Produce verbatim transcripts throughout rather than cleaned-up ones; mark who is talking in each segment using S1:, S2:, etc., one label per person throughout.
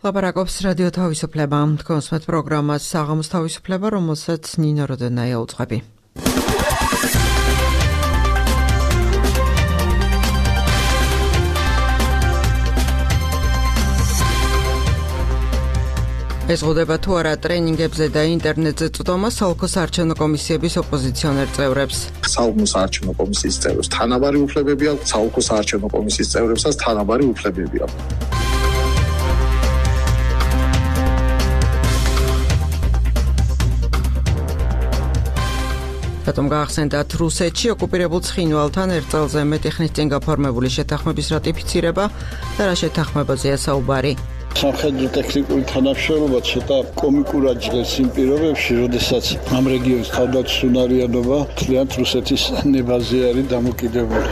S1: ლაპარაკობს რადიო თავისუფლება. თქვენს მეტ პროგრამას საღამოს თავისუფლება, რომელსაც ნინო როდენაია უძღვები. ეზღუდება თუ არა ტრენინგებზე და ინტერნეტზე წვდომა საოლქო საარჩევნო კომისიების ოპოზიციონერ წევრებს.
S2: საოლქო საარჩევნო კომისიის წევრებს თანაბარი უფლებები აქვს, საოლქო საარჩევნო კომისიის წევრებსაც თანაბარი უფლებები აქვს.
S1: რატომ გაახსენდათ რუსეთში ოკუპირებულ ცხინვალთან ერთ წელზე მეტი ხნის წინ გაფორმებული შეთანხმების რატიფიცირება და რა შეთანხმებაზეა საუბარი.
S3: სამხედრო ტექნიკური თანამშრომლობა ცოტა კომიკურად ჟღერს იმ პირობებში, როდესაც ამ რეგიონის თავდაცვისუნარიანობა მთლიანად რუსეთის ნებაზე არის დამოკიდებული.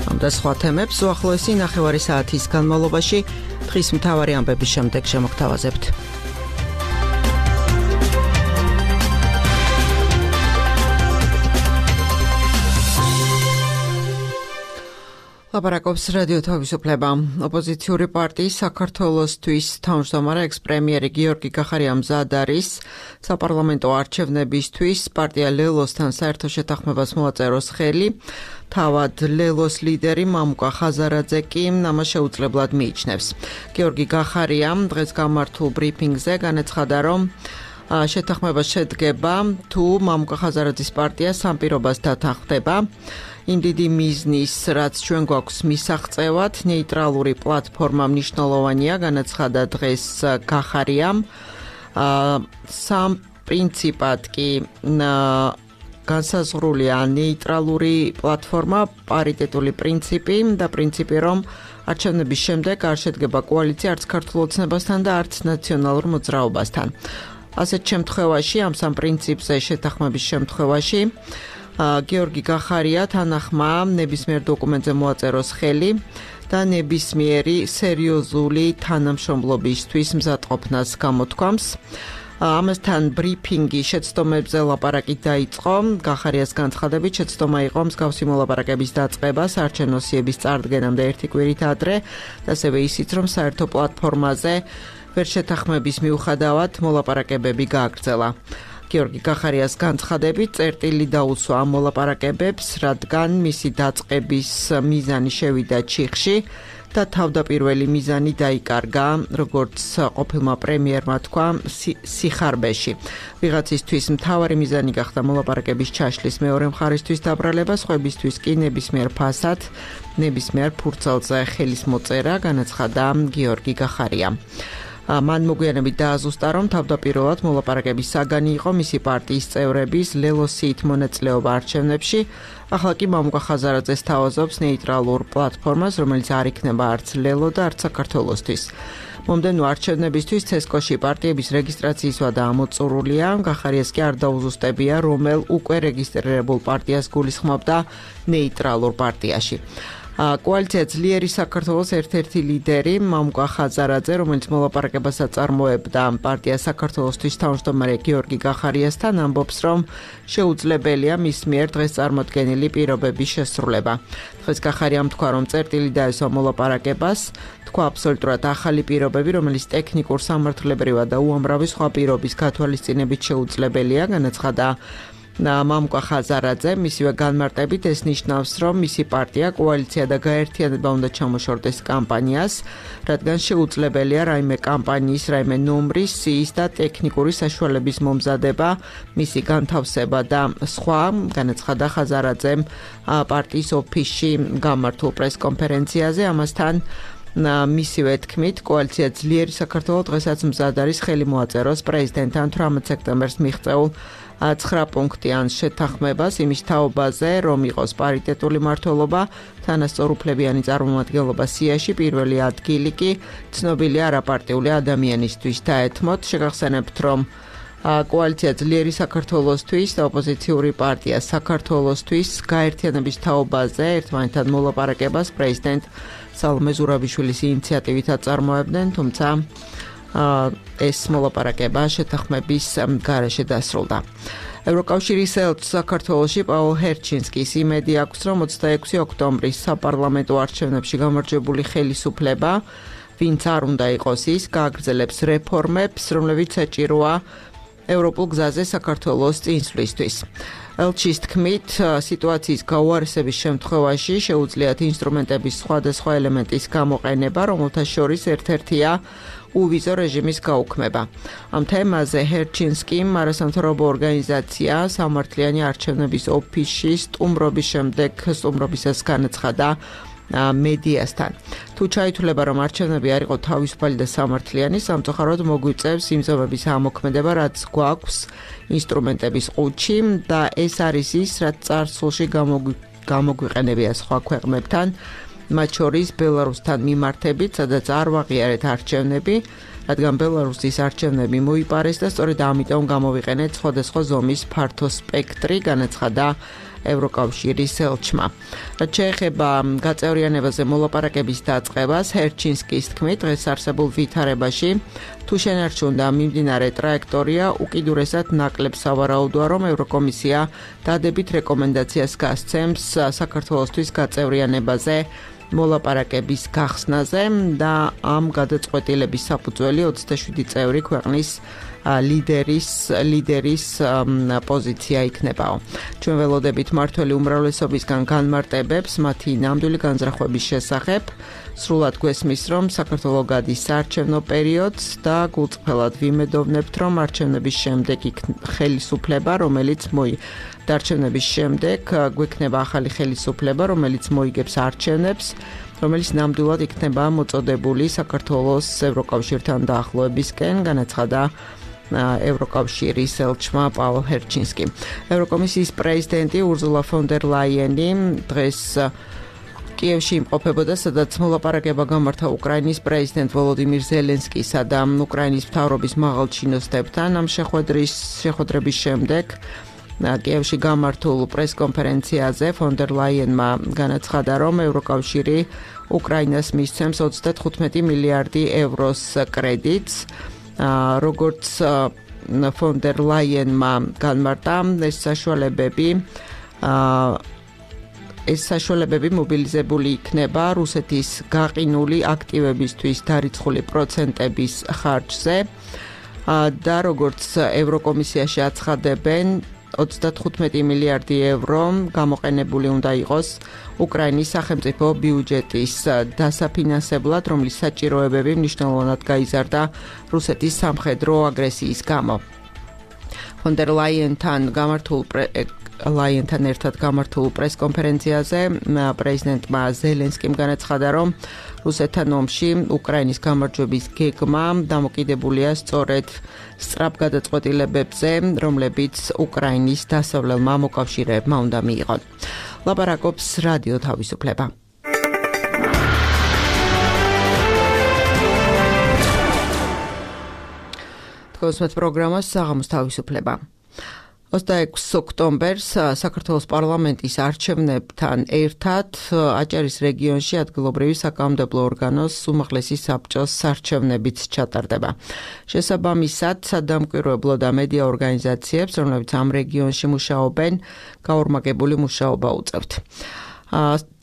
S3: ამ და სხვა თემებს უახლოესი ნახევარი საათის განმავლობაში დღის მთავარი ამბების შემდეგ შემოგთავაზებთ. ლაპარაკობს რადიო თავისუფლება. ოპოზიციური პარტიის საქართველოსთვის თავმჯდომარე ექს-პრემიერი გიორგი გახარია მზად არის საპარლამენტო არჩევნებისთვის პარტია ლელოსთან საერთო შეთანხმებას მოაწეროს ხელი. თავად ლელოს ლიდერი მამუკა ხაზარაძე კი ამას შეუძლებლად მიიჩნევს. გიორგი გახარია დღეს გამართულ ბრიფინგზე განაცხადა, რომ შეთანხმება შედგება თუ მამუკა ხაზარაძის პარტია სამ პირობას დათანხმდება. იმ დიდი მიზნის, რაც ჩვენ გვაქვს მისაღწევად, ნეიტრალური პლატფორმა მნიშვნელოვანია, განაცხადა დღეს გახარიამ. სამ პრინციპად კი განსაზღვრულია ნეიტრალური პლატფორმა, პარიტეტული პრინციპი და პრინციპი, რომ არჩევნების შემდეგ არ შედგება კოალიცია არც ქართულ ოცნებასთან და არც ნაციონალურ მოძრაობასთან. ასეთ შემთხვევაში, ამ სამ პრინციპზე შეთანხმების შემთხვევაში, გიორგი გახარია თანახმა ნებისმიერ დოკუმენტზე მოაწეროს ხელი და ნებისმიერი სერიოზული თანამშრომლობისთვის მზადყოფნას გამოთქვამს. ამასთან ბრიფინგი შეცდომებზე ლაპარაკი დაიწყო. გახარიას განცხადებით, შეცდომა იყო მსგავსი მოლაპარაკების დაწყება საარჩევნო სიების წარდგენამდე ერთი კვირით ადრე და ასევე ისიც, რომ საერთო პლატფორმაზე ვერ შეთანხმების მიუხედავად მოლაპარაკებები გააგრძელა. გიორგი გახარიას განცხადებით, წერტილი დაუსვა ამ მოლაპარაკებებს, რადგან მისი დაწყების მიზანი შევიდა ჩიხში და თავდაპირველი მიზანი დაიკარგა, როგორც ყოფილმა პრემიერმა თქვა, სიხარბეში. ვიღაცისთვის მთავარი მიზანი გახდა მოლაპარაკების ჩაშლის მეორე მხარისთვის დაბრალება, სხვებისთვის კი ნებისმიერ ფასად, ნებისმიერ ფურცელზე ხელის მოწერა, განაცხადა გიორგი გახარია. მან მოგვიანებით დააზუსტა, რომ თავდაპირველად მოლაპარაკების საგანი იყო მისი პარტიის წევრების ლელოსით მონაწილეობა არჩევნებში. ახლა კი მამუკა ხაზარაძეს თავაზობს ნეიტრალურ პლატფორმას, რომელიც არ იქნება არც ლელო და არც საქართველოსთვის. მომდევნო არჩევნებისთვის ცესკოში პარტიების რეგისტრაციის ვადა ამოწურულია. გახარიას კი არ დაუზუსტებია, რომელ უკვე რეგისტრირებულ პარტიას გულისხმობდა ნეიტრალურ პარტიაში. კოალიცია ძლიერი საქართველოს ერთ-ერთი ლიდერი მამუკა ხაზარაძე, რომელიც მოლაპარაკებას აწარმოებდა პარტია საქართველოსთვის თავმჯდომარე გიორგი გახარიასთან, ამბობს, რომ შეუძლებელია მის მიერ დღეს წარმოდგენილი პირობების შესრულება. დღეს გახარიამ თქვა, რომ წერტილი დაესვა მოლაპარაკებას, თქვა აბსოლუტურად ახალი პირობები, რომელიც ტექნიკურ სამართლებრივად და უამრავი სხვა პირობის გათვალისწინებით შეუძლებელია, განაცხადა მამუკა ხაზარაძე. მისივე განმარტებით ეს ნიშნავს, რომ მისი პარტია, კოალიცია და გაერთიანება უნდა ჩამოშორდეს კამპანიას, რადგან შეუძლებელია რაიმე კამპანიის, რაიმე ნომრის, სიის და ტექნიკური საშუალების მომზადება, მისი განთავსება და სხვა, განაცხადა ხაზარაძემ პარტიის ოფისში გამართულ პრესკონფერენციაზე. ამასთან მისივე თქმით, კოალიცია ძლიერი საქართველო დღესაც მზად არის ხელი მოაწეროს პრეზიდენტთან თვრამეტ სექტემბერს მიღწეულ ცხრა პუნქტიან შეთანხმებას იმის თაობაზე, რომ იყოს პარიტეტული მმართველობა, თანასწორუფლებიანი წარმომადგენლობა სიაში, პირველი ადგილი კი ცნობილი არაპარტიული ადამიანისთვის დაეთმოთ. შეგახსენებთ, რომ კოალიცია ძლიერი საქართველოსთვის და ოპოზიციური პარტია საქართველოსთვის გაერთიანების თაობაზე ერთმანეთთან მოლაპარაკებას პრეზიდენტ სალომე ზურაბიშვილის ინიციატივით აწარმოებდნენ, თუმცა ეს მოლაპარაკება შეთანხმების გარეშე დასრულდა.
S1: ევროკავშირის ელჩს საქართველოში პაულ ჰერჩინსკის იმედი აქვს, რომ ოცდაექვსი ოქტომბრის საპარლამენტო არჩევნებში გამარჯვებული ხელისუფლება, ვინც არ უნდა იყოს ის, გააგრძელებს რეფორმებს, რომლებიც საჭიროა ევროპულ გზაზე საქართველოს წინსვლისთვის. ელჩის თქმით, სიტუაციის გაუარესების შემთხვევაში შეუძლიათ ინსტრუმენტების სხვადასხვა ელემენტის გამოყენება, რომელთა შორის ერთ-ერთია უვიზო რეჟიმის გაუქმება. ამ თემაზე ჰერჩინსკიმ არასამთავრობო ორგანიზაცია სამართლიანი არჩევნების ოფისში სტუმრობის შემდეგ სტუმრობისას განაცხადა მედიასთან. თუ ჩაითვლება, რომ არჩევნები არ იყო თავისუფალი და სამართლიანი, სამწუხაროდ მოგვიწევს იმ ზომების ამოქმედება, რაც გვაქვს ინსტრუმენტების ყუთში და ეს არის ის, რაც წარსულში გამოგვიყენებია სხვა ქვეყნებთან, მათ შორის ბელარუსთან მიმართებით, სადაც არ ვაღიარეთ არჩევნები, რადგან ბელარუსის არჩევნები მოიპარეს და სწორედ ამიტომ გამოვიყენეთ სხვადასხვა ზომის ფართო სპექტრი, განაცხადა ევროკავშირის ელჩმა. რაც შეეხება გაწევრიანებაზე მოლაპარაკების დაწყებას, ჰერჩინსკის თქმით, დღეს არსებულ ვითარებაში თუ შენარჩუნდა მიმდინარე ტრაექტორია, უკიდურესად ნაკლებ სავარაუდოა, რომ ევროკომისია დადებით რეკომენდაციას გასცემს საქართველოსთვის გაწევრიანებაზე მოლაპარაკების გახსნაზე და ამ გადაწყვეტილების საფუძველი ოცდაშვიდი წევრი ქვეყნის ლიდერის ლიდერის პოზიცია იქნებაო. ჩვენ ველოდებით მართველი უმრავლესობისგან განმარტებებს მათი ნამდვილი განზრახვების შესახებ. სრულად გვესმის, რომ საქართველო გადის საარჩევნო პერიოდს და გულწრფელად ვიმედოვნებთ, რომ არჩევნების შემდეგ ხელისუფლება, რომელიც მოი არჩევნების შემდეგ გვექნება ახალი ხელისუფლება, რომელიც მოიგებს არჩევნებს, რომელიც ნამდვილად იქნება მოწოდებული საქართველოს ევროკავშირთან დაახლოებისკენ, განაცხადა ევროკავშირის ელჩმა პაულ ჰერჩინსკიმ. ევროკომისიის პრეზიდენტი ურზულა ფონ დერ ლაიენი დღეს კიევში იმყოფებოდა, სადაც მოლაპარაკება გამართა უკრაინის პრეზიდენტ ვოლოდიმირ ზელენსკისა და უკრაინის მთავრობის მაღალ ჩინოსნებთან. ამ შეხვედრის შეხვედრების შემდეგ კიევში გამართულ პრესკონფერენციაზე ფონ დერ ლაიენმა განაცხადა, რომ ევროკავშირი უკრაინას მისცემს ოცდათხუთმეტი მილიარდი ევროს კრედიტს. როგორც ფონ დერ ლაიენმა განმარტა, ეს საშუალებები ეს საშუალებები მობილიზებული იქნება რუსეთის გაყინული აქტივებისთვის დარიცხული პროცენტების ხარჯზე და როგორც ევროკომისიაში აცხადებენ, ოცდათხუთმეტი მილიარდი ევრო გამოყენებული უნდა იყოს უკრაინის სახელმწიფო ბიუჯეტის დასაფინანსებლად, რომლის საჭიროებები მნიშვნელოვნად გაიზარდა რუსეთის სამხედრო აგრესიის გამო. ფონ დერ ლაიენთან გამართულ ლაიენთან ერთად გამართულ პრესკონფერენციაზე პრეზიდენტმა ზელენსკიმ განაცხადა, რომ რუსეთთან ომში უკრაინის გამარჯვების გეგმა დამოკიდებულია სწორედ სწრაფ გადაწყვეტილებებზე, რომლებიც უკრაინის დასავლელმა მოკავშირეებმა უნდა მიიღონ. ლაპარაკობს რადიო თავისუფლება. თქვენს პროგრამას საღამოს თავისუფლება. ოცდაექვსი ოქტომბერს საქართველოს პარლამენტის არჩევნებთან ერთად აჭარის რეგიონში ადგილობრივი საკანონმდებლო ორგანოს უმაღლესი საბჭოს არჩევნებიც ჩატარდება. შესაბამისად, სადამკვირვებლო და მედია ორგანიზაციებს, რომლებიც ამ რეგიონში მუშაობენ, გაორმაგებული მუშაობა უწევთ.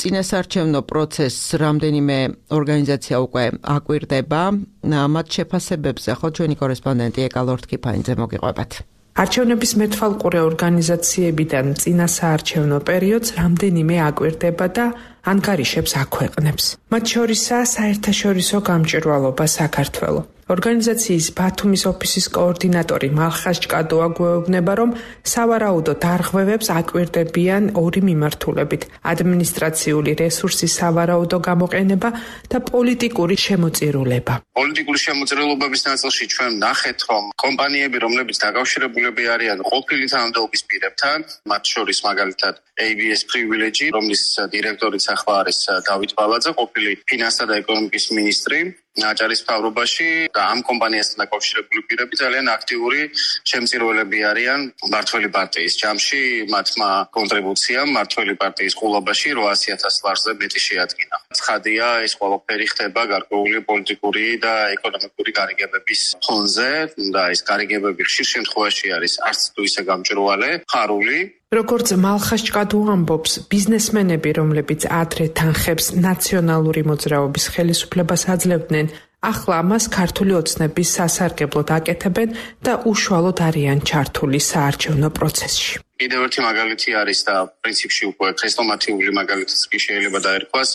S1: წინასაარჩევნო პროცესს რამდენიმე ორგანიზაცია უკვე აკვირდება. მათ შეფასებებზე ხო ჩვენი კორესპონდენტი ეკა ლორთქიფანიძე მოგიყვებათ.
S4: არჩევნების მეთვალყურე ორგანიზაციებიდან წინასაარჩევნო პერიოდს რამდენიმე აკვირდება და ანგარიშებს აქვეყნებს. მათ შორისაა საერთაშორისო გამჭვირვალობა საქართველო. ორგანიზაციის ბათუმის ოფისის კოორდინატორი მალხაზ ჭკადოა გვეუბნება, რომ სავარაუდოდ არღვევებს აკვირდებიან ორი მიმართულებით: ადმინისტრაციული რესურსის სავარაუდო გამოყენება და პოლიტიკური შემოწირულება.
S5: პოლიტიკური შემოწირულობების ნაწილში ჩვენ ნახეთ, რომ კომპანიები, რომლებიც დაკავშირებულები არიან ყოფილი თანამდებობის პირებთან, მათ შორის მაგალითად ეი ბი ეს Privilege, რომლის დირექტორიც ახლა არის დავით ბალაძე, ყოფილი ფინანსთა და ეკონომიკის მინისტრი, აჭარის მთავრობაში და ამ კომპანიასთან დაკავშირებული პირები ძალიან აქტიური შემწირველები არიან მმართველი პარტიის ჯამში, მათმა კონტრიბუციამ მმართველი პარტიის ყულობაში რვაასი ათას ლარზე მეტი შეადგინა. ცხადია, ეს ყველაფერი ხდება გარკვეული პოლიტიკური და ეკონომიკური გარიგებების ფონზე და ეს გარიგებები ხშირ შემთხვევაში არის არც თუ ისე გამჭვირვალე, ხარული.
S4: როგორც მალხაზ ჭკადუ ამბობს, ბიზნესმენები, რომლებიც ადრე თანხებს ნაციონალური მოძრაობის ხელისუფლებას აძლევდნენ, ახლა ამას ქართული ოცნების სასარგებლოდ აკეთებენ და უშუალოდ არიან ჩართული საარჩევნო პროცესში.
S5: კიდევ ერთი მაგალითი არის და პრინციპში უკვე ქრესტომათიური მაგალითიც კი შეიძლება დაერქვას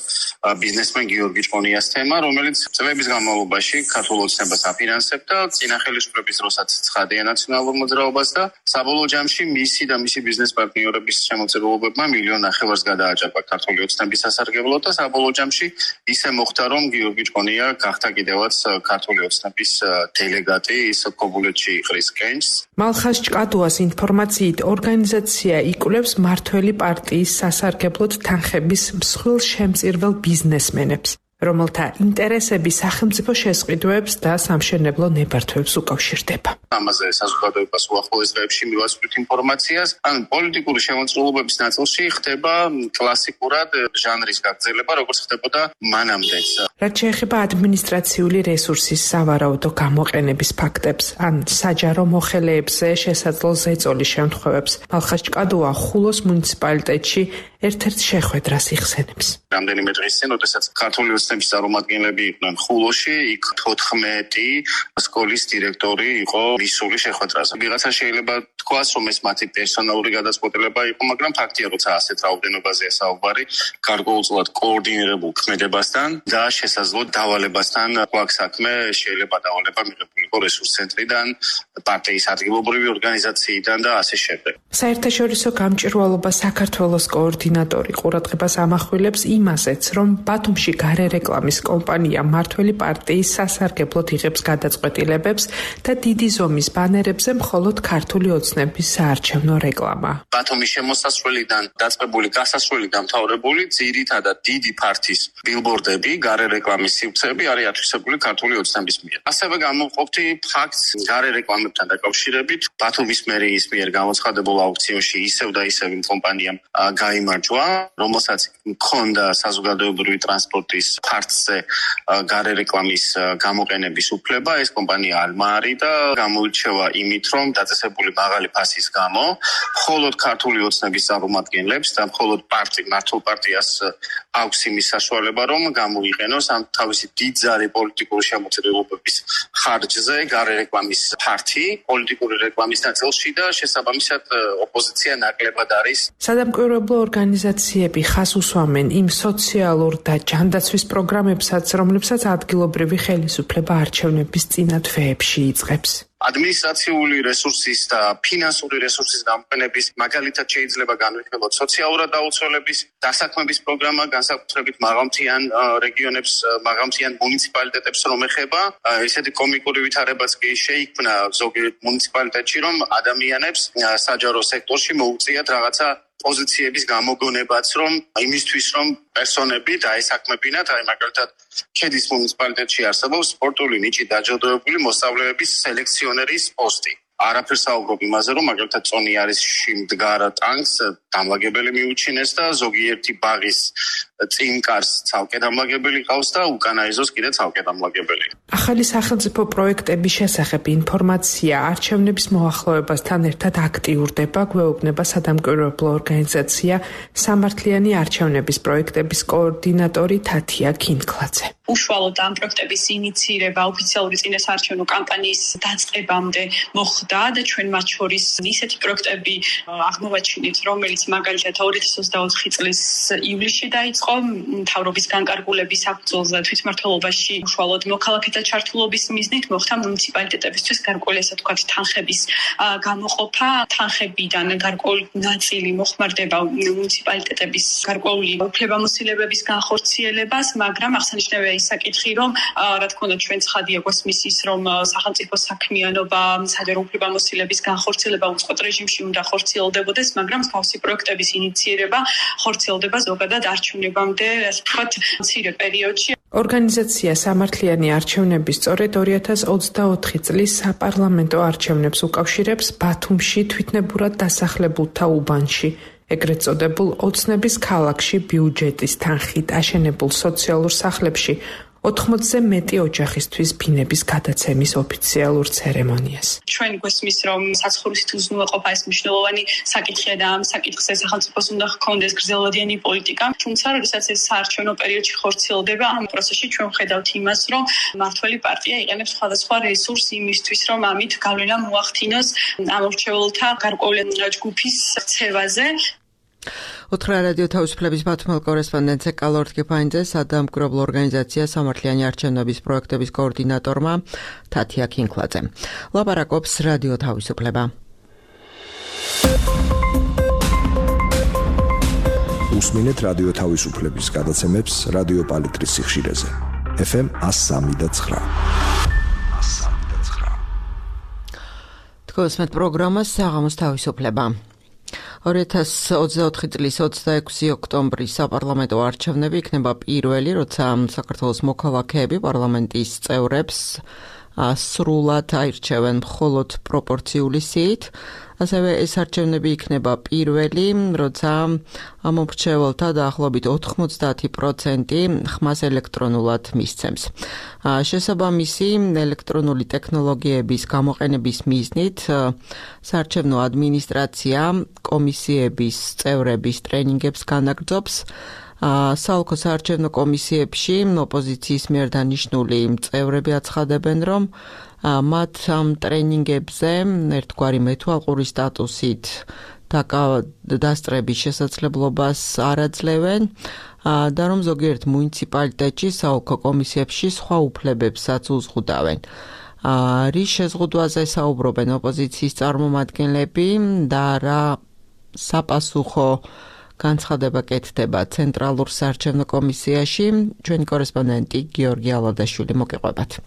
S5: ბიზნესმენ გიორგი ჭყონიას თემა, რომელიც წლების განმავლობაში ქართულ ოცნებას აფინანსებდა წინა ხელისუფლების დროსაც ცხადია ნაციონალურ მოძრაობას და საბოლოო ჯამში მისი და მისი ბიზნეს პარტნიორების შემოწირულობებმა მილიონ ნახევარს გადააჭარბა ქართული ოცნების სასარგებლოდ და საბოლოო ჯამში ისე მოხდა, რომ გიორგი ჭყონია გახდა კიდევაც ქართული ოცნების დელეგატი ის ქობულეთში იყრის კენჭს.
S4: მალხაზ ჭკადუას ინფორმაციით ორგანიზაცია იკვლევს მმართველი პარტიის სასარგებლოდ თანხების მსხვილ შემწირվել ბიზნესმენებს, რომელთა ინტერესები სახელმწიფო შესყიდვებს და სამშენებლო ნებართვებს უკავშირდება.
S5: ამაზე საზოგადოებას უახლოეს დღეებში მივაწვდით ინფორმაციას, ან პოლიტიკური შემოწირულობების ნაწილში ხდება კლასიკურად ჟანრის გაგრძელება, როგორც ხდებოდა მანამდეც.
S4: რაც შეეხება ადმინისტრაციული რესურსის სავარაუდო გამოყენების ფაქტებს, ან საჯარო მოხელეებზე შესაძლო ზეწოლის შემთხვევებს, მალხაზ ჭკადუა ხულოს მუნიციპალიტეტში ერთ-ერთ შეხვედრას იხსენებს.
S5: რამდენიმე დღის წინ, როდესაც ქართული ოცნების წარმომადგენლები იყვნენ ხულოში, იქ თოთხმეტი სკოლის დირექტორი იყო მისული შეხვედრაზე. ვიღაცა შეიძლება თქვას, რომ ეს მათი პერსონალური გადაწყვეტილება იყო, მაგრამ ფაქტია, როცა ასეთ რაოდენობაზეა საუბარი, გარკვეულწილად კოორდინირებულ ქმედებასთან და შესაძლო დავალებასთან გვაქვს საქმე, შეიძლება დავალება მიღებული იყო რესურს ცენტრიდან, პარტიის ადგილობრივი ორგანიზაციიდან და ასე შემდეგ.
S4: საერთაშორისო გამჭვირვალობა საქართველოს კოორდინატორი ყურადღებას ამახვილებს იმასეც, რომ ბათუმში გარე რეკლამის კომპანია მმართველი პარტიის სასარგებლოდ იღებს გადაწყვეტილებებს და დიდი ზომის ბანერებზე მხოლოდ ქართული ოცნების საარჩევნო რეკლამა.
S5: ბათუმის შემოსასვლელიდან დაწყებული გასასვლელი დამთავრებული ძირითადად დიდი ფართის ბილბორდები, გარე რეკლამის სივრცეები არის ათვისებული ქართული ოცნების მიერ. ასევე გამოვყოფთი ფაქტს გარე რეკლამებთან დაკავშირებით ბათუმის მერიის მიერ გამოცხადებულ აუქციონში ისევ და ისევ იმ კომპანიამ გაიმარჯვა, რომელსაც მქონდა საზოგადოებრივი ტრანსპორტის ფართზე გარე რეკლამის გამოყენების უფლება. ეს კომპანია ალმა არის და გამოირჩევა იმით, რომ დაწესებული მაღალი ფასის გამო მხოლოდ ქართული ოცნების წარმომადგენლებს და მხოლოდ პარტი მართულ პარტიას აქვს იმის საშუალება, რომ გამოიყენოს ამ თავისი დიდძალი პოლიტიკური შემოწირულობების ხარჯზე გარე რეკლამის ფართი პოლიტიკური რეკლამის ნაწილში და შესაბამისად ოპოზიცია ნაკლებად არის.
S4: სადამკვირვებლო ორგანიზაციები ხას უსვამენ იმ სოციალურ და ჯანდაცვის პროგრამებსაც, რომლებსაც ადგილობრივი ხელისუფლება არჩევნების წინა თვეებში იწყებს.
S5: ადმინისტრაციული რესურსის და ფინანსური რესურსის გამოყენების მაგალითად შეიძლება განვიხილოთ სოციალურად დაუცველების დასაქმების პროგრამა, განსაკუთრებით მაღალმთიან რეგიონებს, მაღალმთიან მუნიციპალიტეტებს რომ ეხება. ესეთი კომიკური ვითარებაც კი შეიქმნა ზოგიერთ მუნიციპალიტეტში, რომ ადამიანებს საჯარო სექტორში მოუწიათ რაღაცა პოზიციების გამოგონებაც, რომ იმისთვის რომ პერსონები დაესაქმებინათ, აი მაგალითად ქედის მუნიციპალიტეტში არსებობს სპორტული ნიჭით დაჯილდოებული მოსწავლეების სელექციონერის პოსტი. არაფერს საუბრობ იმაზე, რომ მაგალითად წონიარისში მდგარ ტანკს დამლაგებელი მიუჩინეს და ზოგიერთი ბაღის წინკარს ცალკე დამლაგებელი ყავს და უკანაიზოს კიდე ცალკე დამლაგებელი.
S4: ახალი სახელმწიფო პროექტების შესახებ ინფორმაცია არჩევნების მოახლოებასთან ერთად აქტიურდება, გვეუბნება სადამკვირვებლო ორგანიზაცია სამართლიანი არჩევნების პროექტების კოორდინატორი თათია ქინკლაძე.
S6: უშუალოდ ამ პროექტების ინიციირება ოფიციალური წინასაარჩევნო კამპანიის დაწყებამდე მოხდა და ჩვენ მათ შორის ისეთი პროექტები აღმოვაჩინეთ, რომელიც მაგალითად ორი ათას ოცდაოთხი წლის ივლისში დაიწყო მთავრობის განკარგულების საფუძველზე თვითმმართველობაში უშუალოდ მოქალაქეთა ჩართულობის მიზნით მოხდა მუნიციპალიტეტებისთვის გარკვეული ასე ვთქვათ თანხების გამოყოფა. თანხებიდან გარკვეული ნაწილი მოხმარდება მუნიციპალიტეტების გარკვეული უფლებამოსილებების განხორციელებას, მაგრამ აღსანიშნავია ის საკითხი, რომ რა თქმა უნდა ჩვენ ცხადია გვასმის ის, რომ სახელმწიფო საქმიანობა, საჯარო უფლებამოსილების განხორციელება უწყოთ რეჟიმში უნდა ხორციელდებოდეს, მაგრამ თავისი პროექტების ინიციირება ხორციელდება ზოგადად არჩევნებამდე, ასე ვთქვათ, მცირე პერიოდში.
S4: ორგანიზაცია სამართლიანი არჩევნების სწორედ ორი ათას ოცდაოთხი წლის საპარლამენტო არჩევნებს უკავშირებს ბათუმში თვითნებურად დასახლებულთა უბანში, ეგრეთ წოდებულ ოცნების ქალაქში ბიუჯეტის თანხით აშენებულ სოციალურ სახლებში ოთხმოცზე მეტი ოჯახისთვის ფინების გადაცემის ოფიციალურ ცერემონიას.
S6: ჩვენ გვესმის, რომ საცხოვრისით უზრუნველყოფა ეს მნიშვნელოვანი საკითხია და ამ საკითხზე სახელმწიფოს უნდა ჰქონდეს გრძელვადიანი პოლიტიკა. თუმცა, როდესაც ეს საარჩევნო პერიოდში ხორციელდება, ამ პროცესში ჩვენ ვხედავთ იმას, რომ მმართველი პარტია იყენებს სხვადასხვა რესურს იმისთვის, რომ ამით გავლენა მოახდინოს ამორჩეულთა გარკვეული ჯგუფის ქცევაზე.
S1: უთხრა რადიო თავისუფლების ბათუმელ კორესპონდენტზე კალორდ გეფაინძე სადამკვირვებლო ორგანიზაცია სამართლიანი არჩევნების პროექტების კოორდინატორმა თათია ქინკლაძემ. ლაპარაკობს რადიო თავისუფლება.
S7: უსმინეთ რადიო თავისუფლების გადაცემებს რადიო პალიტრის სიხშირეზე. ეფ ემ one oh three და nine.
S1: თქოსმეთ პროგრამას საღამოს თავისუფლება. ორი ათას ოცდაოთხი წლის ოცდაექვსი ოქტომბრის საპარლამენტო არჩევნები იქნება პირველი, როცა საქართველოს მოქალაქეები პარლამენტის წევრებს სრულად აირჩევენ მხოლოდ პროპორციული სიით. ასევე ეს არჩევნები იქნება პირველი, როცა ამომრჩეველთა დაახლოებით ოთხმოცდაათი პროცენტი ხმას ელექტრონულად მისცემს. შესაბამისი ელექტრონული ტექნოლოგიების გამოყენების მიზნით საარჩევნო ადმინისტრაცია კომისიების წევრების ტრენინგებს განაგრძობს. საოლქო საარჩევნო კომისიებში ოპოზიციის მიერ დანიშნული წევრები აცხადებენ, რომ მათ ამ ტრენინგებზე ერთგვარი მეთვალყური სტატუსით დასწრების შესაძლებლობას არ აძლევენ და რომ ზოგიერთ მუნიციპალიტეტში საოლქო კომისიებში სხვა უფლებებსაც უზღუდავენ. რის შეზღუდვაზე საუბრობენ ოპოზიციის წარმომადგენლები და რა საპასუხო განცხადება კეთდება ცენტრალურ საარჩევნო კომისიაში, ჩვენი კორესპონდენტი გიორგი ალადაშვილი მოგიყვებათ.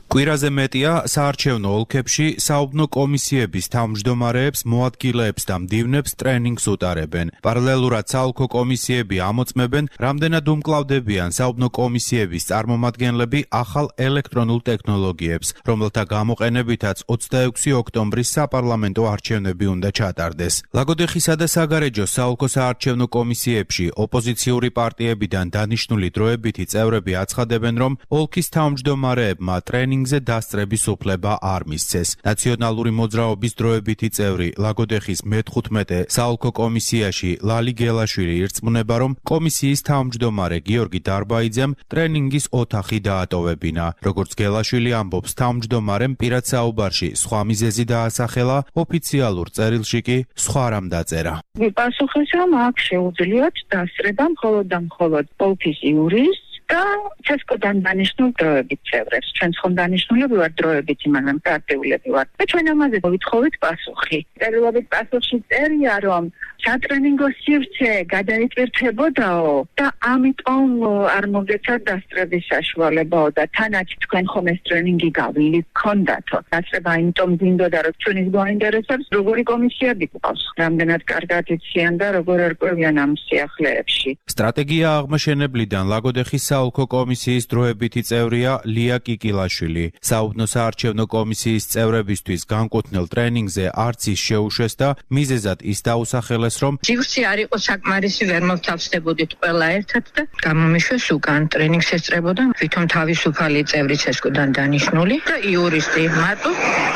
S8: კვირაზე მეტია საარჩევნო ოლქებში საუბნო კომისიების თავმჯდომარეებს, მოადგილეებს და მდივნებს ტრენინგს უტარებენ. პარალელურად საოლქო კომისიები ამოწმებენ, რამდენად უმკლავდებიან საუბნო კომისიების წარმომადგენლები ახალ ელექტრონულ ტექნოლოგიებს, რომელთა გამოყენებითაც ოცდაექვსი ოქტომბრის საპარლამენტო არჩევნები უნდა ჩატარდეს. ლაგოდეხისა და საგარეჯოს საოლქო საარჩევნო კომისიებში ოპოზიციური პარტიებიდან დანიშნული დროებითი წევრები აცხადებენ, რომ ოლქის თავმჯდომარეებმა ტრენინგ ზე დასწრების უფლება არ მისცეს. ნაციონალური მოძრაობის დროებითი წევრი ლაგოდეხის მეთხუთმეტე საოლქო კომისიაში ლალი გელაშვილი ირწმუნება, რომ კომისიის თავმჯდომარე გიორგი დარბაიძემ ტრენინგის ოთახი დაატოვებინა. როგორც გელაშვილი ამბობს, თავმჯდომარემ პირად საუბარში სხვა მიზეზი დაასახელა, ოფიციალურ წერილში კი სხვა რამ დაწერა.
S9: პასუხის რომ აქ შეუძლიათ დასწრება მხოლოდ და მხოლოდ ოლქის იურის და ცესკოდან დანიშნულ დროებით წევრებს. ჩვენ ხომ დანიშნულები ვართ დროებითი, მაგრამ პარტიულები ვართ. და ჩვენ ამაზე ვითხოვით პასუხი. წერილობით პასუხში წერია, რომ სატრენინგო სივრცე გადაიტვირთებოდაო და ამიტომ არ მოგეცათ დასწრების საშუალებაო და თანაც თქვენ ხომ ეს ტრენინგი გავლილი გქონდათო. დასწრება იმიტომ მინდოდა, რომ ჩვენის გვაინტერესებს როგორი კომისიები გვყავს, რამდენად კარგად იციან და როგორ ერკვევიან ამ სიახლეებში.
S8: სტრატეგია აღმაშენებლიდან ლაგოდეხის საოლქო კომისიის დროებითი წევრია ლია კიკილაშვილი. საუბნო საარჩევნო კომისიის წევრებისთვის განკუთვნილ ტრენინგზე არც ის შეუშვეს და მიზეზად ის დაუსახელეს, რომ
S10: ჯივრცი არ იყო საკმარისი, ვერ მოვთავსდებოდით ყველა ერთად და გამომიშვეს უკან ტრენინგს ესწრებოდა თვითონ თავისუფალი წევრი ცესკოდან დანიშნული და იურისტი. მარტო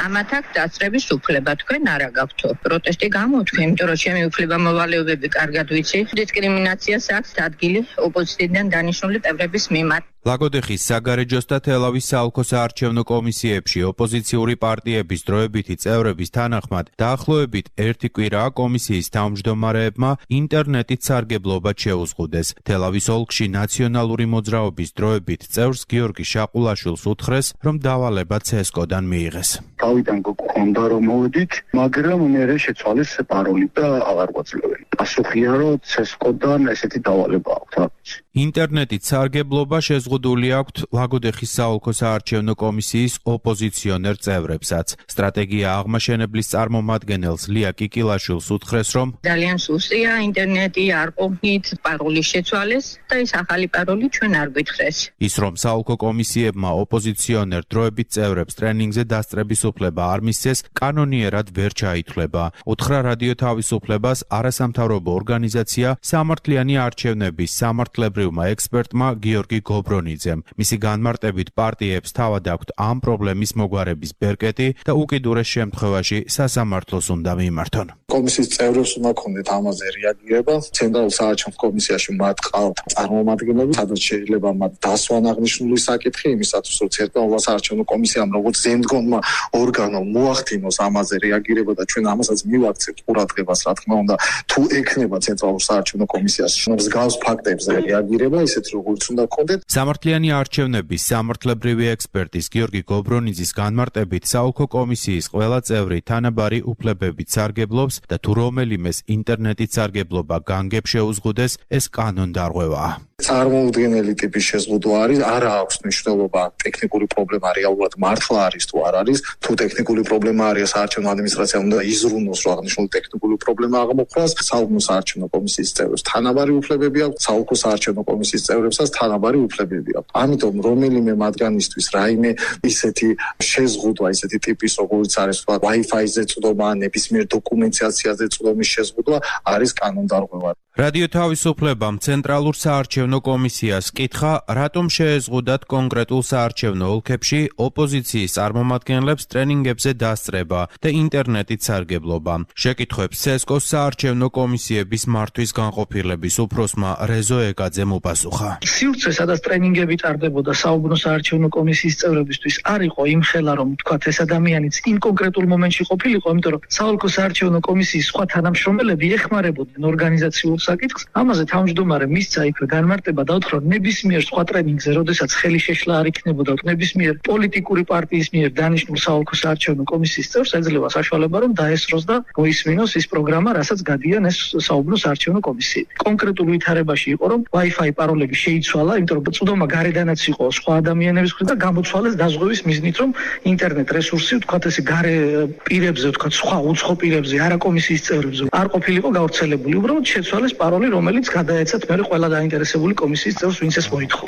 S10: ამათ აქ დასწრების უფლება თქვენ არ აგაქვთო. პროტესტი გამოთქვი, იმიტომ რომ ჩემი უფლება მოვალეობები კარგად ვიცი. დისკრიმინაციას აქვს ადგილი ოპოზიციიდან დანიშნული წევრების მიმართ.
S8: ლაგოდეხის საგარეჯოს და თელავის საოლქო საარჩევნო კომისიებში ოპოზიციური პარტიების დროებითი წევრების თანახმად დაახლოებით ერთი კვირაა კომისიის თავმჯდომარეებმა ინტერნეტით სარგებლობა შეუზღუდეს. თელავის ოლქში ნაციონალური მოძრაობის დროებით წევრს გიორგი შაყულაშვილს უთხრეს, რომ დავალება ცესკოდან მიიღეს.
S2: თავიდან გქონდა რომ მოვედით, მაგრამ მერე შეცვალეს პაროლი და აღარ გვაძლევენ. პასუხია რომ ცესკოდან ესეთი დავალება აქვს.
S8: ინტერნეტით სარგებლობა შეზღუდული აქვთ ლაგოდეხის საოლქო საარჩევნო კომისიის ოპოზიციონერ წევრებსაც. სტრატეგია აღმაშენებლის წარმომადგენელს ლია კიკილაშვილს უთხრეს, რომ
S10: ძალიან სუსტია ინტერნეტი, არ ყოფნით პაროლის შეცვალეს და ეს ახალი პაროლი ჩვენ არ გვითხრეს.
S8: ის რომ საოლქო კომისიებმა ოპოზიციონერ დროებით წევრებს ტრენინგზე დასწრების უფლება არ მისცეს, კანონიერად ვერ ჩაითვლება. უთხრა რადიო თავისუფლებას არასამთავრობო ორგანიზაცია სამართლიანი არჩევნების სამართლებრივმა ექსპერტმა გიორგი გობრონიძემ. მისი განმარტებით პარტიებს თავად აქვთ ამ პრობლემის მოგვარების ბერკეტი და უკიდურეს შემთხვევაში სასამართლოს უნდა მიმართონ.
S2: კომისიის წევრებს უნდა ქონდეთ ამაზე რეაგირება. ცენტრალურ საარჩევნო კომისიაში მათ ყავთ წარმომადგენლები, სადაც შეიძლება მათ დასვან აღნიშნული საკითხი იმისათვის, რომ ცენტრალურ საარჩევნო კომისიამ როგორც ზემდგონმა ორგანომ მოახდინოს ამაზე რეაგირება და ჩვენ ამასაც მივაქცევთ ყურადღებას, რა თქმა უნდა, თუ ექნება ცენტრალურ საარჩევნო კომისიაში მსგავს ფაქტებზე რეაგირება, ისეთი როგორც უნდა ქონდეთ.
S8: სამართლიანი არჩევნების სამართლებრივი ექსპერტის გიორგი გობრონიძის განმარტებით საოლქო კომისიის ყველა წევრი თანაბარი უფლებებით სარგებლობს და თუ რომელიმეს ინტერნეტით სარგებლობა განგებ შეუზღუდეს, ეს კანონდარღვევაა.
S2: წარმოუდგენელი ტიპის შეზღუდვა არის, არა აქვს მნიშვნელობა ტექნიკური პრობლემა რეალურად მართლა არის თუ არ არის. თუ ტექნიკური პრობლემა არის, საარჩევნო ადმინისტრაციამ უნდა იზრუნოს, რომ აღნიშნული ტექნიკური პრობლემა აღმოფხვრას. საოლქო საარჩევნო კომისიის წევრებს თანაბარი უფლებები აქვს, საოლქო საარჩევნო კომისიის წევრებსაც თანაბარი უფლებები აქვს. ამიტომ რომელიმე მათგანისთვის რაიმე ისეთი შეზღუდვა, ისეთი ტიპის როგორც არის თქვა Wi-Fi-ზე წვდომა, ნებისმიერ დოკუმენტაციაზე წვდომის შეზღუდვა არის კანონდარღვევა.
S8: რადიო თავისუფლებამ ცენტრალურ საარჩევნო კომისიას კითხა, რატომ შეეზღუდათ კონკრეტულ საარჩევნო ოლქებში ოპოზიციის წარმომადგენლებს ტრენინგებზე დასწრება და ინტერნეტით სარგებლობა. შეკითხვებს ცესკოს საარჩევნო კომისიების მართვის განყოფილების უფროსმა რეზო ეკაძემ უპასუხა.
S11: სივრცე, სადაც ტრენინგები ტარდებოდა საუბნო საარჩევნო კომისიის წევრებისთვის, არ იყო იმხელა, რომ თქვათ ეს ადამიანიც იმ კონკრეტულ მომენტში ყოფილიყო, იმიტომ რომ საოლქო საარჩევნო კომისიის სხვა თანამშრომელები ეხმარებოდნენ ორგანიზაციულ საკითხს. ამაზე თავმჯდომარე მისცა იქვე განმარტება და უთხრა, ნებისმიერ სხვა ტრენინგზე, როდესაც ხელი შეშლა არ იქნებოდა ნებისმიერ პოლიტიკური პარტიის მიერ დანიშნულ საოლქო საარჩევნო კომისიის წევრს ეძლევა საშუალება, რომ დაესწროს და მოისმინოს ის პროგრამა, რასაც გადიან ეს საუბნო საარჩევნო კომისიები. კონკრეტულ ვითარებაში იყო, რომ Wi-Fi პაროლები შეიცვალა, იმიტომ რომ წვდომა გარედანაც იყო სხვა ადამიანების მხრიდან და გამოცვალეს დაზღვევის მიზნით, რომ ინტერნეტ რესურსი, თქვათ ესე გარე პირებზე, თქვათ სხვა უცხო პირებზე, არა კომისიის წევრებზე არ ყოფილიყო გავრცელებული. უბრალოდ შეცვალეს პაროლი, რომელიც გადაეცათ მე ყველა დაინტერესებული კომისიის წევრს, ვინც ეს მოითხოვ.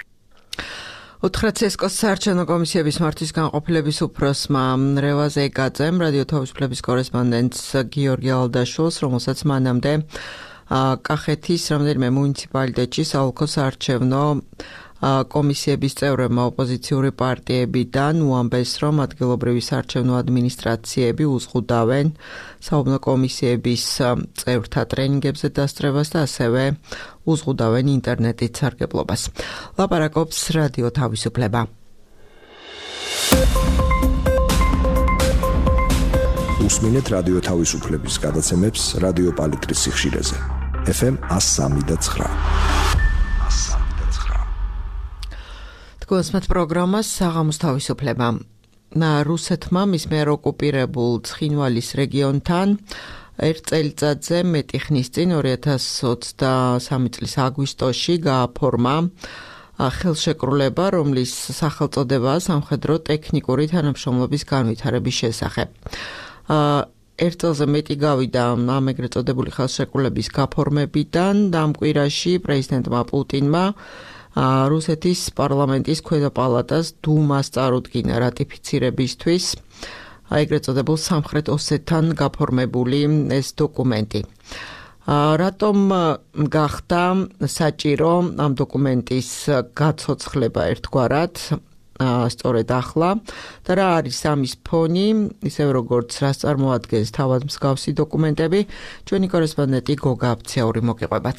S1: უთხრა ცესკოს საარჩევნო კომისიების მართვის განყოფილების უფროსმა რევაზ ეკაძემ რადიო თავისუფლების კორესპონდენტს გიორგი ალდაშვილს, რომელსაც მანამდე კახეთის რამდენიმე მუნიციპალიტეტში საოლქო საარჩევნო კომისიების წევრებმა ოპოზიციური პარტიებიდან უამბეს, რომ ადგილობრივი საარჩევნო ადმინისტრაციები უზღუდავენ საუბნო კომისიების წევრთა ტრენინგებზე დასწრებას და ასევე უზღუდავენ ინტერნეტით სარგებლობას. ლაპარაკობს რადიო თავისუფლება.
S7: უსმინეთ რადიო თავისუფლების გადაცემებს რადიო პალიტრის სიხშირეზე. ეფ ემ one oh three point nine.
S1: გულისხმობთ პროგრამას საღამოს თავისუფლება. რუსეთმა მის მიერ ოკუპირებულ ცხინვალის რეგიონთან ერთ წელიწადზე მეტი ხნის წინ ორი ათასი ოცდამსამი წლის აგვისტოში გააფორმა ხელშეკრულება, რომლის სახელწოდებაა სამხედრო ტექნიკური თანამშრომლობის განვითარების შესახებ. ერთ წელზე მეტი გავიდა ამ ეგრეთ წოდებული ხელშეკრულების გაფორმებიდან და ამ კვირაში პრეზიდენტმა პუტინმა რუსეთის პარლამენტის ქვედა პალატას დუმას წარუდგინა რატიფიცირებისთვის ეგრეთ წოდებულ სამხრეთ ოსეთთან გაფორმებული ეს დოკუმენტი. რატომ გახდა საჭირო ამ დოკუმენტის გაცოცხლება ერთგვარად სწორედ ახლა და რა არის ამის ფონი, ისევ როგორც რას წარმოადგენს თავად მსგავსი დოკუმენტები, ჩვენი კორესპონდენტი გოგა აფციური მოგიყვებათ.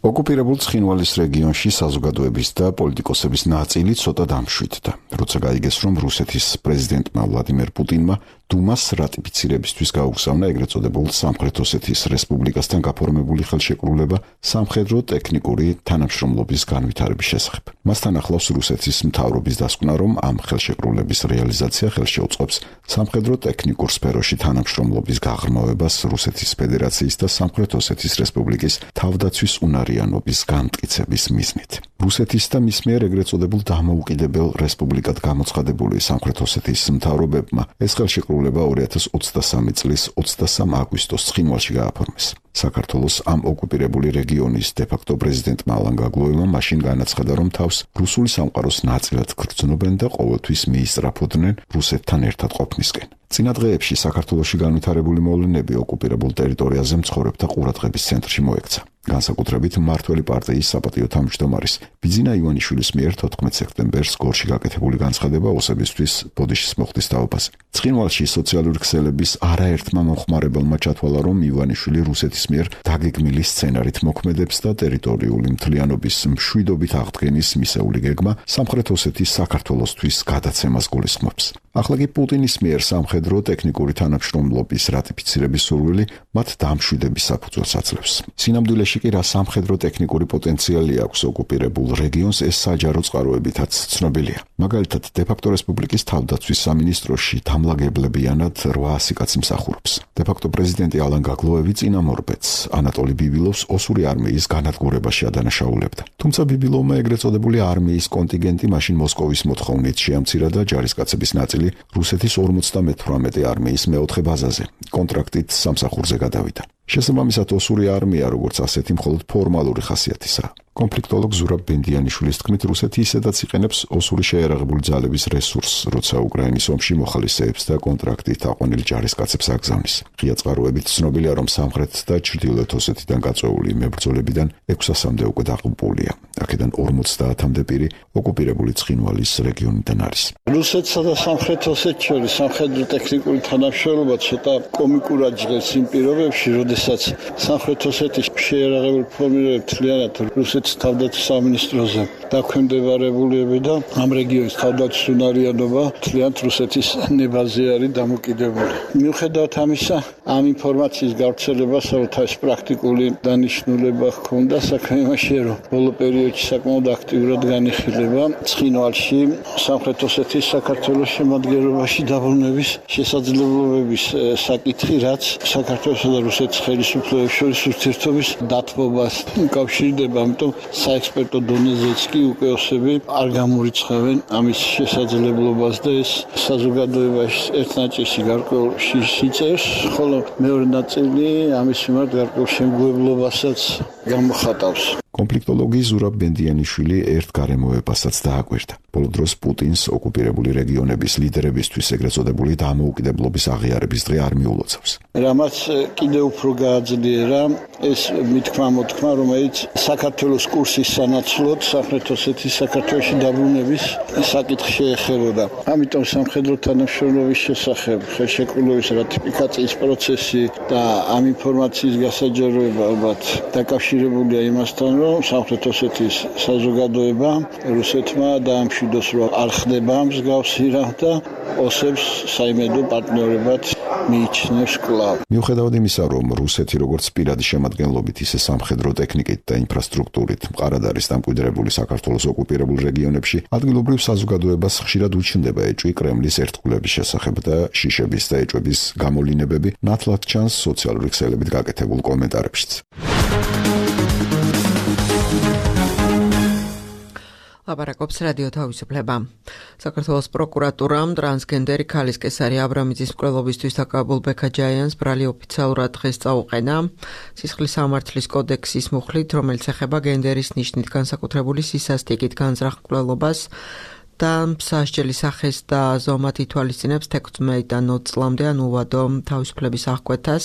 S12: ოკუპირებულ ცხინვალის რეგიონში საზოგადოების და პოლიტიკოსების ნაწილი ცოტა დამშვიდდა, როცა გაიგეს, რომ რუსეთის პრეზიდენტმა ვლადიმერ პუტინმა დუმას რატიფიცირებისთვის გაუგზავნა ეგრეთ წოდებულ სამხრეთ ოსეთის რესპუბლიკასთან გაფორმებული ხელშეკრულება სამხედრო ტექნიკური თანამშრომლობის განვითარების შესახებ. მასთან ახლავს რუსეთის მთავრობის დასკვნა, რომ ამ ხელშეკრულების რეალიზაცია ხელს შეუწყობს სამხედრო ტექნიკურ სფეროში თანამშრომლობის გაღრმავებას რუსეთის ფედერაციის და სამხრეთ ოსეთის რესპუბლიკის თავდაცვის უნარიანობის განმტკიცების მიზნით. რუსეთის და მის მიერ ეგრეთ წოდებულ დამოუკიდებელ რესპუბლიკად გამოცხადებული სამხრეთ ოსეთის მთავრობებმა ეს ხელშეკრულება ორი ათას ოცდასამი წლის ოცდასამ აგვისტოს ცხინვალში გააფორმეს. საქართველოს ამ ოკუპირებული რეგიონის დე-ფაქტო პრეზიდენტმა ალან გაგლუევმა მაშინ განაცხადა, რომ თავს რუსული სამყაროს ნაწილად გრძნობენ და ყოველთვის მიისწრაფოდნენ რუსეთთან ერთად ყოფნისკენ. წინა დღეებში საქართველოში განვითარებული მოვლენები ოკუპირებულ ტერიტორიაზე მცხოვრებთა ყურადღების ცენტრში მოექცა. განსაკუთრებით მმართველი პარტიის საპატიო თავმჯდომარის ბიძინა ივანიშვილის მიერ თოთხმეტ სექტემბერს გორში გაკეთებული განცხადება ოსებისთვის ბოდიშის მოხდის თაობაზე. ცხინვალში სოციალური ქსელების არაერთმა მომხმარებელმა ჩათვალა, რომ ივანიშვილი რუსეთის მიერ დაგეგმილი სცენარით მოქმედებს და ტერიტორიული მთლიანობის მშვიდობით აღდგენის მისეული გეგმა სამხრეთ ოსეთის საქართველოსთვის გადაცემას გულისხმობს. ახლა კი პუტინის მიერ სამხედრო ტექნიკური თანამშრომლობის რატიფიცირების სურვილი მათ დამშვიდების საფუძველს აძლევს. სინამდვილეში კი რა სამხედრო ტექნიკური პოტენციალი აქვს ოკუპირებულ რეგიონს, ეს საჯარო წყაროებითაც ცნობილია. მაგალითად, დე-ფაქტო რესპუბლიკის თავდაცვის სამინისტროში დამლაგებლებიანად რვაასი კაცი მსახურობს. დე-ფაქტო პრეზიდენტი ალან გაგლუევი წინამორბედს ანატოლი ბიბილოვს ოსური არმიის განადგურებაში ადანაშაულებდა. თუმცა ბიბილოვმა ეგრეთ წოდებული არმიის კონტინგენტი მაშინ მოსკოვის მოთხოვნით შეამცირა და ჯარისკაცების ნაწილი რუსეთის ორმოცდამეთვრამეტე არმიის მეოთხე ბაზაზე კონტრაქტით სამსახურზე გადავიდა. შესაბამისად ოსური არმია როგორც ასეთი მხოლოდ ფორმალური ხასიათისაა. კონფლიქტოლოგ ზურაბ ბენდიანიშვილის თქმით, რუსეთი ისედაც იყენებს ოსური შეიარაღებული ძალების რესურსს, როცა უკრაინის ომში მოხალისეებს და კონტრაქტით აყვანილ ჯარისკაცებს აგზავნის. ღია წყაროებით ცნობილია, რომ სამხრეთ და ჩრდილოეთ ოსეთიდან გაწვეული მებრძოლებიდან ექვსასამდე უკვე დაღუპულია. აქედან ორმოცდაათამდე პირი ოკუპირებული ცხინვალის რეგიონიდან არის.
S13: რუსეთსა და სამხრეთ ოსეთს შორის სამხედრო ტექნიკური თანამშრომლობა ცოტა კომიკურად ჟღერს იმ პირობებში, როდესაც სამხრეთ ოსეთის შეიარაღებული ფორმირებები მთლიანად რუსეთის თავდაცვის სამინისტროზე დაქვემდებარებულები და ამ რეგიონის თავდაცვის უნარიანობა მთლიანად რუსეთის ნებაზე არის დამოკიდებული. მიუხედავად ამისა, ამ ინფორმაციის გავრცელებას ალბათ ეს პრაქტიკული დანიშნულება ჰქონდა საქმე იმაშია, რომ ბოლო პერიოდში საკმაოდ აქტიურად განიხილება ცხინვალში სამხრეთ ოსეთის საქართველოს შემადგენლობაში დაბრუნების შესაძლებლობების საკითხი, რაც საქართველოსა და რუსეთის ხელისუფლებებს შორის ურთიერთობის დათბობას უკავშირდება. ამიტომ საექსპერტო დონეზეც კი უკვე ოსები არ გამორიცხავენ ამის შესაძლებლობას და ეს საზოგადოებაში ერთ ნაწილში გარკვეულ შიშიწერს, ხოლო მეორე ნაწილი ამის მიმართ გარკვეულ შემგუებლობასაც გამოხატავს.
S12: კონფლიქტოლოგი ზურაბ ბენდიანიშვილი ერთ გარემოებასაც დააკვირდა. ბოლო დროს პუტინს ოკუპირებული რეგიონების ლიდერებისთვის ეგრეთ წოდებული დამოუკიდებლობის აღიარების დღე არ მიულოცავს.
S13: რამაც კიდევ უფრო გააძლიერა ეს მithქმა მოთქმა, რომელიც საქართველოს კურსის სანაცვლოდ სამხრეთ ოსეთის საქართველოში დაბრუნების საკითხი შეეხებოდა. ამიტომ სამხედრო თანამშრომლობის შესახებ ხელშეკრულების რატიფიკაციის პროცესი და ამ ინფორმაციის გასაჯაროება ალბათ დაკავშირებულია იმასთან, რომ სამხრეთ ოსეთის საზოგადოება რუსეთმა დაამშვიდოს, რომ არ ხდება მსგავსი რამ და ოსებს საიმედო პარტნიორებად მიიჩნევს კვლავ.
S12: მიუხედავად იმისა, რომ რუსეთი როგორც პირადი შემადგენლობით, ისე სამხედრო ტექნიკით და ინფრასტრუქტურით მყარად არის დამკვიდრებული საქართველოს ოკუპირებულ რეგიონებში, ადგილობრივ საზოგადოებას ხშირად უჩნდება ეჭვი კრემლის ერთგულების შესახებ და შიშების და ეჭვების გამოვლინებები ნათლად ჩანს სოციალური ქსელებით გაკეთებულ კომენტარებშიც.
S1: ლაპარაკობს რადიო თავისუფლება. საქართველოს პროკურატურამ ტრანსგენდერი ქალის კესარი აბრამიძის მკვლელობისთვის დაკავებულ ბექაჯაიანს ბრალი ოფიციალურად დღეს წაუყენა. სისხლის სამართლის კოდექსის მუხლით, რომელიც ეხება გენდერის ნიშნით განსაკუთრებული სისასტიკით განზრახ მკვლელობას და მსაჯელის სახეს და ზომად ითვალისწინებს თექვსმეტიდან ოცი წლამდე ან უვადო თავისუფლების აღკვეთას.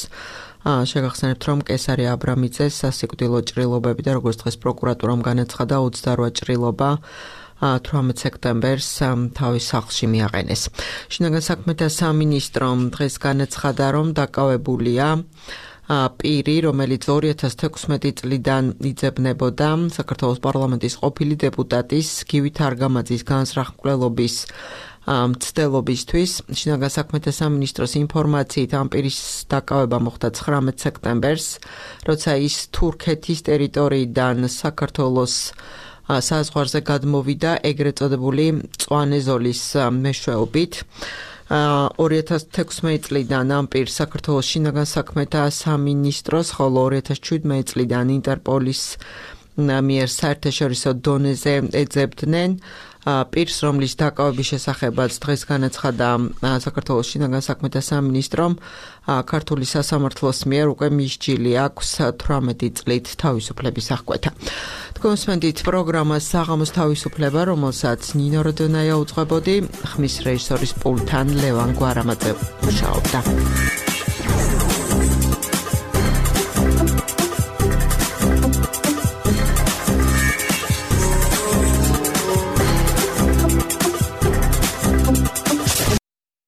S1: შეგახსენებთ, რომ კესარი აბრამიძეს სასიკვდილო ჭრილობები და როგორც დღეს პროკურატურამ განაცხადა ოცდარვა ჭრილობა თვრამეტ სექტემბერს თავის სახლში მიაყენეს. შინაგან საქმეთა სამინისტრომ დღეს განაცხადა, რომ დაკავებულია პირი, რომელიც ორი ათას თექვსმეტი წლიდან იძებნებოდა საქართველოს პარლამენტის ყოფილი დეპუტატის გივით არგამაძის განზრახ მკვლელობის მცდელობისთვის. შინაგან საქმეთა სამინისტროს ინფორმაციით ამ პირის დაკავება მოხდა ცხრამეტ სექტემბერს, როცა ის თურქეთის ტერიტორიიდან საქართველოს საზღვარზე გადმოვიდა ეგრეთ წოდებული მწვანე ზოლის მეშვეობით. ორი ათას თექვსმეტი წლიდან ამ პირს საქართველოს შინაგან საქმეთა სამინისტროს, ხოლო ორი ათას შვიდმეტი წლიდან ინტერპოლის მიერ საერთაშორისო დონეზე ეძებდნენ პირს, რომლის დაკავების შესახებაც დღეს განაცხადა საქართველოს შინაგან საქმეთა სამინისტრომ, ქართული სასამართლოს მიერ უკვე მისჯილი აქვს თვრამეტი წლით თავისუფლების აღკვეთა. თქვენსმენდით პროგრამას საღამოს თავისუფლება, რომელსაც ნინო როდონაია უძღვებოდი, ხმის რეჟისორის პულტთან ლევან გვარამაძე მუშაობდა.